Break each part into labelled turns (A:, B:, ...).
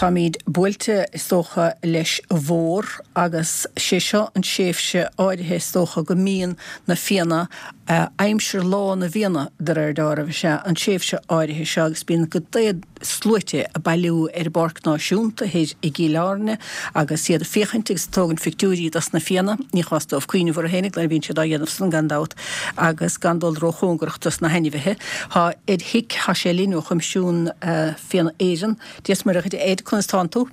A: Táimíd buailte, is dócha, leis an bhfómhar agus sé seo an tréimhse áirithe, is dócha, go mbíonn na fianna, aimsir lá na bhfianna, de réir deáraimh, is ea an tréimhse áirithe seo agus bíonn go sluaite ag bailiú ar an bPáirc Náisiúnta thoir i gCill Airne agus iad ag féachaint agus ag tógaint phictiúirí dos na fianna. Ní chás dóibh cuimhneamh orthu fhéinig nuair a bhíonn siad á dhéanamh san, gan dabht, agus gan dul róchóngarach dos na hainmhithe. Tá Ed Hick, tá sé linn ó Choimisiún Fianna Éireann. Dia 's Muire dhuit, a Ed, conas tánn tú?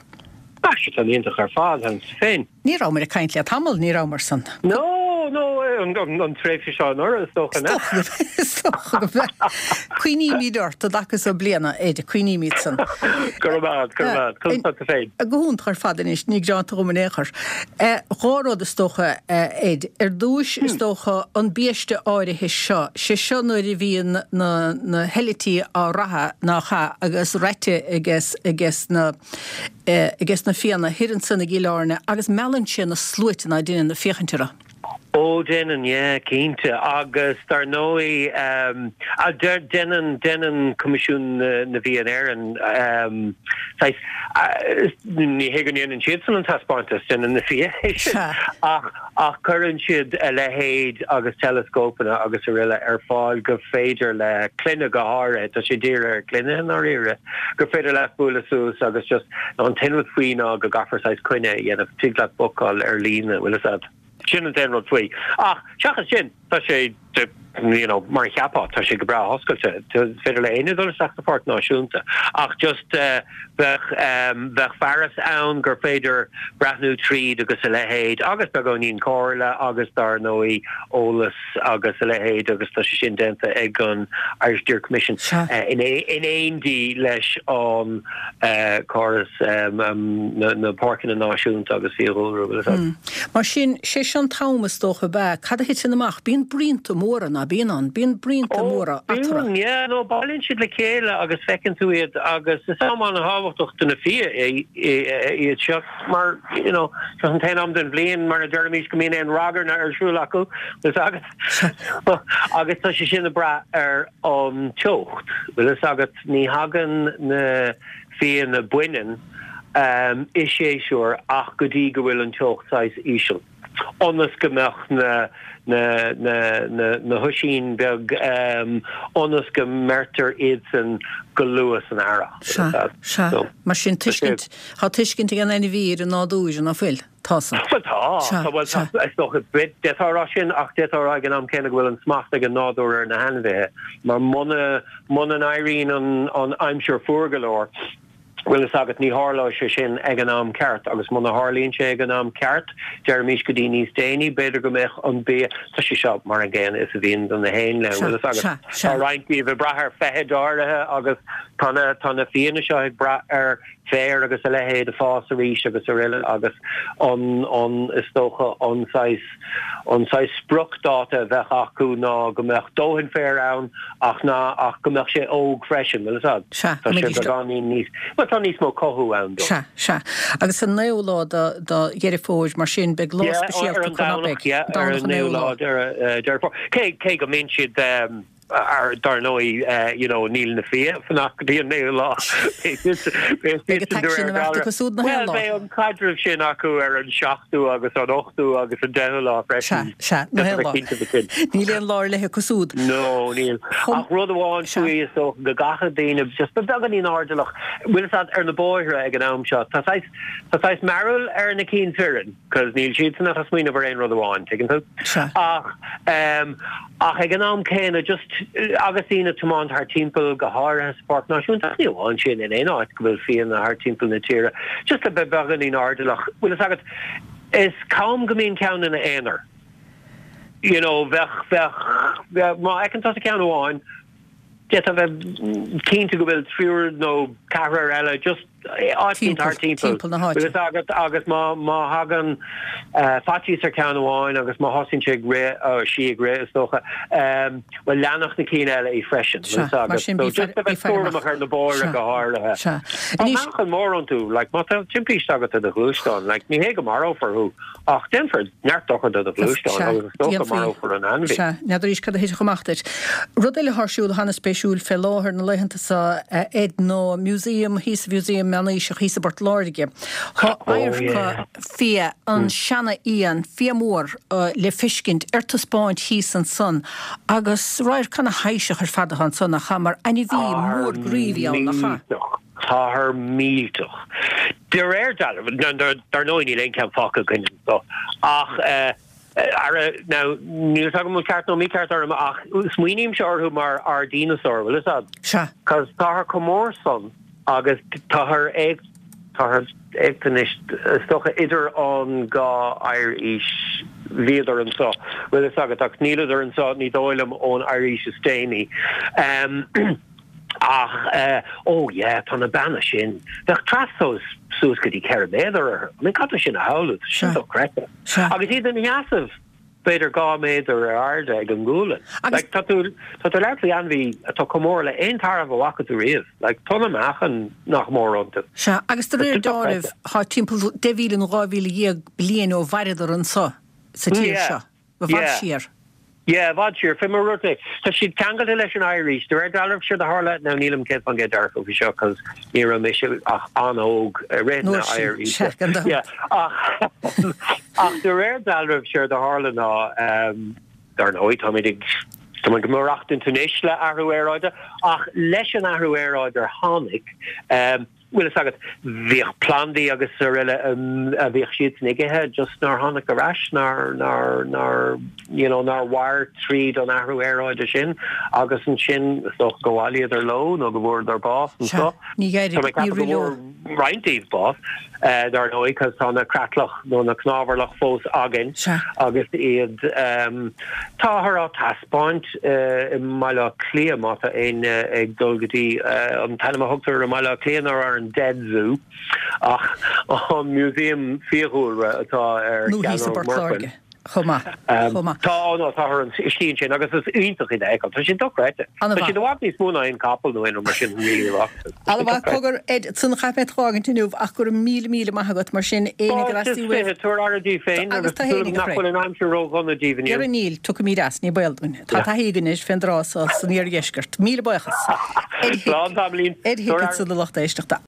B: Tá sé go hiontach ar fad, agus tú féin?
A: Ní rabhamar ag caint le tamall, ní rabhamar san.
B: No, no, an tréimhse seo anuraidh, is dócha,
A: nach? Is dócha go mb'ea. Cuimhnímid ort i dtaca so bliana, Ed, cuimhnímid san.
B: Go raibh maith agat, go raibh maith agat. Conas tá tú féin?
A: Go hiontach ar fad anois, ní gearánta dhom in aon chor. Dhá rud is dócha, Ed. Ar dtúis, is dócha, an biaiste áirithe seo, sé seo nuair a bhíonn na na heitiltí á raitheadh, nach ea, agus raite ages, ages na. ages na Fianna thoir ansan i gCill Airne agus meallann sé na sluaite ná deineann ag féachaint orthu.
B: Ó déanann, yeah, cinnte. Agus dar ndóigh, déanann, déanann Coimisiún na bhFia in Éirinn saghas, ní hé go ndéanann siadsan an taispeántas, déanann na fia é sin, ach, Ach cuireann siad a leithéid agus teileascópanna agus aroile ar fáil go féidir le clainne go háirithe, tá sé dírithe ar clainne i ndáiríre, gur féidir leat bualadh suas agus just, an t-aon rud faoi ná go gcaithfear saghas coinne a dhéanamh, tig leat bookáil ar líne, bhfuil fhios a'd. Sin an t-aon rud faoi. Ach seachas sin, tá sé you know, mar a cheapfá, tá sé go breá oscailte. Is féidir le éinne dul isteach sa Pháirc Náisiúnta. Ach just bheadh, bheadh fearas ann gur féidir breathnú tríd agus a leithéid agus beagáinín comhairle agus dar ndóigh eolas agus a leithéid agus tá sé sin déanta ag an Irish Deer Commission in éindí leis an córas na páirceanna náisiúnta agus fiadhúlra, bhfuil fhios a'd.
A: Mar sin, sé seo an t-am is dócha ab ea? Cad a thiteann amach? Bíonn bruíonta móra, ná bíonn ann? Bíonn bruíonta móra
B: eatarthu. Ó, bíonn, yeah, no, bailíonn siad le chéile agus feiceann tú iad agus is am an-thábhachtach do na fia iad seo mar, you know, seo an t-aon am den bhliain mar a deirimís go mbíonn aon ragairne ar siúl acu, bhfuil fhios agat. Agus tá sé sin ag brath ar an teocht, bhfuil fhios agat. Ní thagann na fianna baineann i séasúr ach go dtí go bhfuil an teocht saghas íseal, ionas go mbeadh na na na na na hoisín beag ionas go mbeirtear iadsan go luath san earrach.
A: Sea, sea. Mar sin tuiscint, tá tuiscint ag an ainmhí ar an nádúr, ná fuil? Tá
B: san. Bhuel tá, Sea, tá, bhuel tá, sea. is dócha, d'fhéadfá a rá sin ach d'fhéadfá a rá ag an am céanna go bhfuil an smacht ag an nádúr ar na hainmhithe mar muna, muna n-éiríonn an, an aimsir fuar go leor, bhfuil fhios agat, ní tharlóidh sé sin ag an am ceart agus muna tharlaíonn sé ag an am ceart, deirimis go dtí níos déanaí, b'fhéidir go mbeadh an bia, tá sé seo mar an gcéanna is a bhíonn do na héanlaith, Sea, bhfuil fhios agat. sea, sea. Tá roinnt díobh ag brath ar feithid áirithe agus tá na, tá na fianna seo ag brath ar féar agus a leithéid ag fás arís agus aroile agus an, an, is dócha an saghas, an saghas spriocdháta a bheadh acu ná go mbeadh dóthain féir ann ach ná, ach go mbeadh sé óg freisin, bhfuil fhios a'd?
A: Sea,
B: Tá sé beagáinín níos, bhuel tá níos mó cothú ann
A: dó. Sea, sea. Agus an naoú lá de, de Dheireadh Fómhair, mar sin, beidh lá
B: Yeah,
A: speisialta
B: ar an
A: acu, ná
B: Domhnach,
A: beidh?
B: yeah, ar
A: Domhnach
B: an
A: an
B: naoú
A: naoú
B: lá
A: lá.
B: Deireadh, Deireadh Fómhair. Cé, cé go mbíonn siad, Ar ndóigh, you know, níl na fia ag fanacht go dtí an naoú lá.
A: Beidh an t-aicsean ag imeacht acu súd na haon
B: lá. Bhuel, beidh an caidreamh sin acu ar an seachtú agus an ochtú agus an deichiú lá
A: freisin. Sea, sea, na haon lá. Níl aon lá ar leith acu súd.
B: No, níl. Ach rud amháin faoi, is dócha, go gcaithfidh daoine just bheith beagáinín airdeallach. Bhfuil fhios a'd, ar na bóithre ag an am seo, tá saghas, tá saghas mearbhall ar na cinn fireann. 'Cause níl siadsan ach ag smaoineamh ar aon rud amháin, tuigeann tú?
A: Sea.
B: Ach, ehm, ach ag an am céanna, just, agus daoine ag tiomáint thart timpeall, go háirithe sa Pháirc Náisiúnta, ach ní amháin sin, in aon áit go bhfuil fianna thart timpeall na tíre, just le bheith beagáinín airdeallach, bhfuil fhios agat, is cam go mbíonn ceann ina aonar. You know, bheadh, bheadh, bheadh, má fheiceann tusa ceann amháin, d'fhéadfá bheith cinnte go bhfuil triúr nó ceathrar eile just áit éicint thart timpeall.
A: Timpeall na háite.
B: Bhfuil fhios agat agus má má thagann faitíos ar cheann amháin agus má thosaíonn sé ag rith, ó sí ag rith is dócha, bhuel leanfadh na cinn eile í freisin. Bhfuil
A: fhios
B: agat.
A: Mar sin
B: So just a bheith cúramach ar na bóithre go háirithe.
A: Sea.
B: Tá meáchan mór iontu, like má tá timpiste agat i do ghluaisteán, like ní hé go marófar thú Ach déanfar neart dochair do do ghluaisteán agus is dócha marófar an ainmhí.
A: Sea, n'fheadar arís cad a thitfeadh amach duit. Rud eile atá ar siúl atá ana-spéisiúil fé láthair na laethanta seo, a Ed, ná museum, thíos sa mhuseum. Meánaoiseach thíos i bPort Láirge. Tá adharca fia, an seana-fhia, an fia mór le feiscint ar taispeáint thíos ansan agus radharc ana-thaibhseach ar fad atá ansan, nach ea, mar ainmhí mór groí a bhí ann, nach ea?
B: Millteach. Táthar millteach. De réir dealraimh, dar ndóigh níl aon cheann fágtha againn anseo, ach ara, now, níl 'fhios agam an bhfuil ceart nó mícheart orm ach smaoinímse orthu mar ár díneasár, bhfuil 'fhios a'd?
A: Sea.
B: Cos táthar chomh mór san agus táthar ag, táthar ag anois, is dócha idir an dhá oighearaois bhíodar anseo, bhfuil 'fhios agat, ach níleadar anseo, ní dóigh liom, ón oighearaois is déanaí. Ach, oh yeah, tá na beanna sin, bheadh trastomhas suas go dtí 4 méadar orthu. I mean, cad é sin a shamhlú? Tá sin dochreidte. Agus iad ina sheasamh b'fhéidir 2 méadar ar airde ag an ngualainn. Like, tá tú, tá tú ag labhairt faoi ainmhí atá chomh mór le aon tarbh a bhfaca tú riamh. Like, tonna meáchain nach mór iontu.
A: Sea, agus de réir dealraimh, tá timpeall 10,000 nó 12,000 bliain ó mhaireadar anso sa tír seo. I bhfad siar.
B: Yeah, i bhfad siar. Fé mar a dúirt mé, tá siad ceangailte leis an oighearaois. De réir dealraimh, séard a tharla, now nílim 100% dearfach faoi seo cos ní raibh mise ach an-óg i rith na
A: oighearaoise. Sea, gan dabht.
B: Yeah, ach, ach de réir dealraimh, séard a tharla ná, dar ndóigh, táimid ag, táimid ag maireachtaint anois le athrú aeráide, ach leis an athrú aeráide a tháinig, Bhfuil fhios agat, bhíodh plandaí agus araile a bhíodh siadsan ag ithe just nár tháinig ar ais, nár, nár, nár, you know, nár mhair tríd an athrú aeráide sin agus ansin is dócha go bhailíodar leo nó go bhfuaireadar bás
A: anseo. Ní
B: Tá mé ag ceapadh go bhfuair roinnt díobh bás, dar ndóigh, cos tá na creatlach nó na cnámharlach fós againn agus iad, táthar á taispeáint i mBaile Átha Cliath, má tá éinne ag dul go dtí, an t-ainm a thugtar ar i mBaile Átha Cliath ná ar an Dead Zoo, ach an Museum Fiadhúlra atá ar
A: Nó thíos i
B: Chearnóg
A: bPort
B: Mhorchuin.
A: Láirge chomh maith, chomh maith.
B: Tá, ó no, táthar an, istigh ansin agus is iontach iad a fheiceáil. Tá siad dochreidte. Tá
A: An-mhaith.
B: siad i bhfad níos mó ná aon capall nó aon rud mar sin really a bhfaca tú.
A: An-mhaith. Cogar, Ed, ansan caithfidh mé tú a fhágaint inniu ach go raibh míle míle maith agat mar sin, éinne ag
B: Fáilte
A: teastáil uaibh.
B: is 20, tabhair aire daoibh féin
A: Agus
B: agus
A: tú
B: tá súil
A: fhéinig
B: agam
A: a
B: nach
A: Chroí.
B: bhfuil an aimsir ró-dhona daoibh inniu.
A: Dhera níl, tiocfaimid as, ní baol dúinn. Tá taithí againn anois fén dtráth so san iardheisceart. Míle buíochas. Ed Hick,
B: Slán tamaillín.
A: Ed Hick
B: Tabhair aire.
A: ansan a lucht éisteachta.